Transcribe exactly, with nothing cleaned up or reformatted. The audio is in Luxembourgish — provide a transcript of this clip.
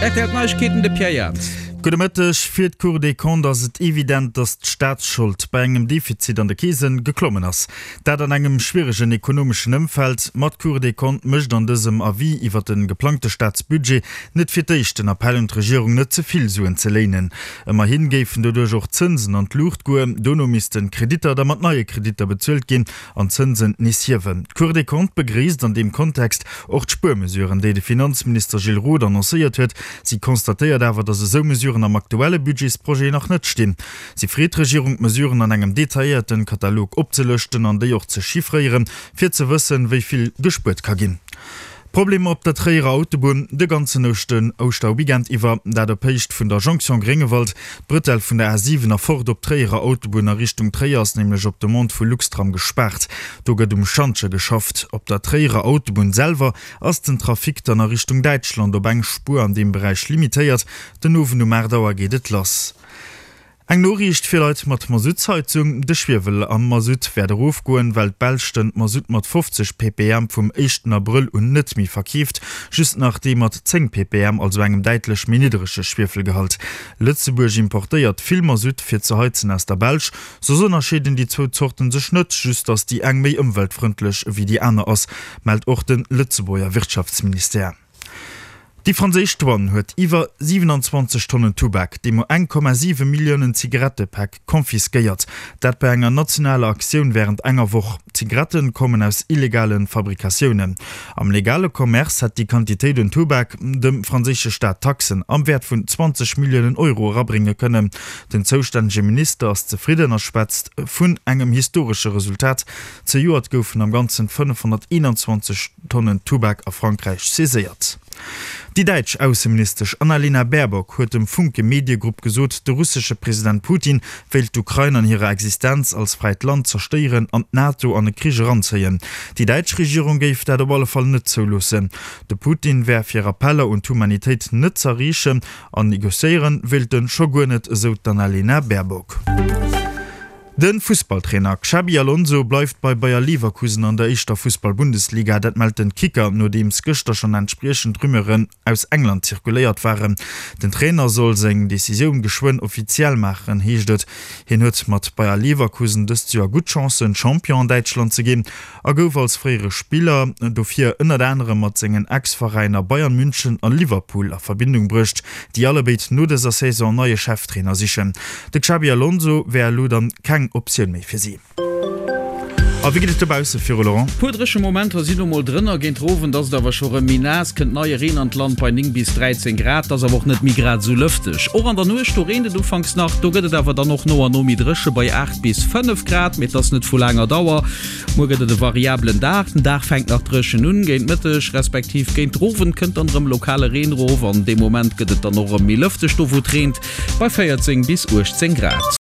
Rtl Neiegkeeten, de Pierre Jans. Gudde Mëtteg. Fir d'Cour des Comptes ass et evident, datt d'Staatsschold bei engem Defizit an de Keese geklommen ass. Dat an engem schwieregen ekonomeschen Ëmfeld. Ma d'Cour des Comptes mécht an dësem Avis iwwer de geplangte Staatsbudget net fir d'éischt den Appell un d'Regierung, net ze vill Suen ze léinen. Ëmmerhi géifen doduerch och d'Zënsen an d'Luucht goen. Dono missten d'Kreditter da mat neie Kreditter bezuelt ginn an d'Zënsen nees hiewen. D'Cour des Comptes begréisst an deem Kontext och d'Spuermesuren, déi de Finanzminister Gilles Roth annoncéiert huet. Si constatéiert awer, datt esou Mesuren am aktuelle Budgetsprojet nach net stinn. Si freet d'Regierung, d'Mesuren an engem detailléierte Katalog opzelëschten an déi och ze chiffréieren, fir ze wëssen, wéi vill gespuert ka ginn. Problemer op der Tréierer Autobunn de ganzen Ouschterweekend iwwer, dat op Héicht vun der Jonction Gréngewald. D'Bretelle vun der A siwen a fort op d'Tréierer Autobunn a Richtung Tréier ass nämlech op Demande vu Luxtram gespaart. Do gëtt um Schantje geschafft. Op der Tréierer Autobunn selwer ass den Trafic dann a Richtung Däitschland op eng Spuer an deem Beräich limitéiert. Den Owend um aacht Auer geet et lass. Eng Noriicht fir Leit mat Masuttsheizung, De Schwiewel am Masutt wäert erofgoen, well d'Belsch den Masutt mat fofzeg ppm vum éischten Abrëll un net méi verkeeft, just nach dee mat zéng ppm, also engem däitlech méi nidderege Schwiefelgehalt. Lëtzebuerg importéiert vill Masutt fir ze heizen aus der Belsch. Soss ënnerscheeden déi zwou Zorten sech net, just datt déi eng méi ëmweltfrëndlech ewéi déi aner ass, mellt och de Lëtzebuerger Wirtschaftsministère. Déi franséisch Douane huet iwwer siewenanzwanzeg Tonnen Tubak, deemno eng Komma siwe Milliounen Zigarettepäck, confisquéiert. Dat bei enger nationaler Aktioun wärend enger Woch. D'Zigarette kommen aus illegale Fabrikatiounen. Am legale Commerce hätt déi Quantitéit un Tubak dem franséische Staat Taxen am Wäert vun zwanzeg Milliounen Euro erabrénge kënnen. Den zoustännege Minister ass zefridden a schwätzt vun engem historesche Resultat. Zejoert goufen am Ganzen fënnefhonnerteenanzwanzeg Tonnen Tubak a Frankräich saiséiert. Déi däitsch Ausseministesch Annalena Baerbock huet dem Funke Mediegrupp gesot, de russesche President Putin wéilt d'Ukrain an hirer Existenz als fräit Land zerstéieren an d'NATO an e Krich eranzéien. Déi däitsch Regierung géif dat op alle Fall net zouloossen. De Putin wär fir Appeller un d'Humanitéit net z'erreechen an negociéiere wéilt en scho guer net, esou d'Annalena Baerbock. De Fussballtrainer Xabi Alonso bleift bei Bayer Leverkusen an der éischter Fussball-Bundesliga. Dat mellt den Kicker, nodeems gëschter schonn entspriechend Rumeuren aus England zirkuléiert waren. Den Trainer soll seng Decisioun geschwënn offiziell maachen, heescht et. Hien huet mat Bayer Leverkusen dëst Joer gutt Chancen, Champion an Däitschland ze ginn a gouf als fréiere Spiller dofir ënnert anerem mat sengen Ex-Veräiner Bayern München a Liverpool a Verbindung bruecht, déi allebéid no dëser Saison en neie Cheftrainer sichen. De Xabi Alonso wär elo dann keng Optioun méi fir si. A wéi geet et dobausse viru, Laurent? Puer dréche Momenter sinn lo mol drënner, géint den Owend ass et awer scho rëm méi naass, kënnt neie Reen an d'Land bei néng bis dräizéng Grad. Ass awer och net méi grad esou lëfteg. Och an der Nuecht, do reent et ufanks nach, do gëtt et awer dann och no an no méi dréche bei aacht bis fënnef Grad, mee et ass net vu laanger Dauer. Muer gëtt et e variabelen Dag, den Dag fänkt nach dréchen un, géint Mëtteg respektiv géint den Owend kënnt dann erëm lokale Reen erof an dee Moment gëtt et dann och erëm méi lëfteg do wou et reent, bei véierzéng bis uechtzéng Grad.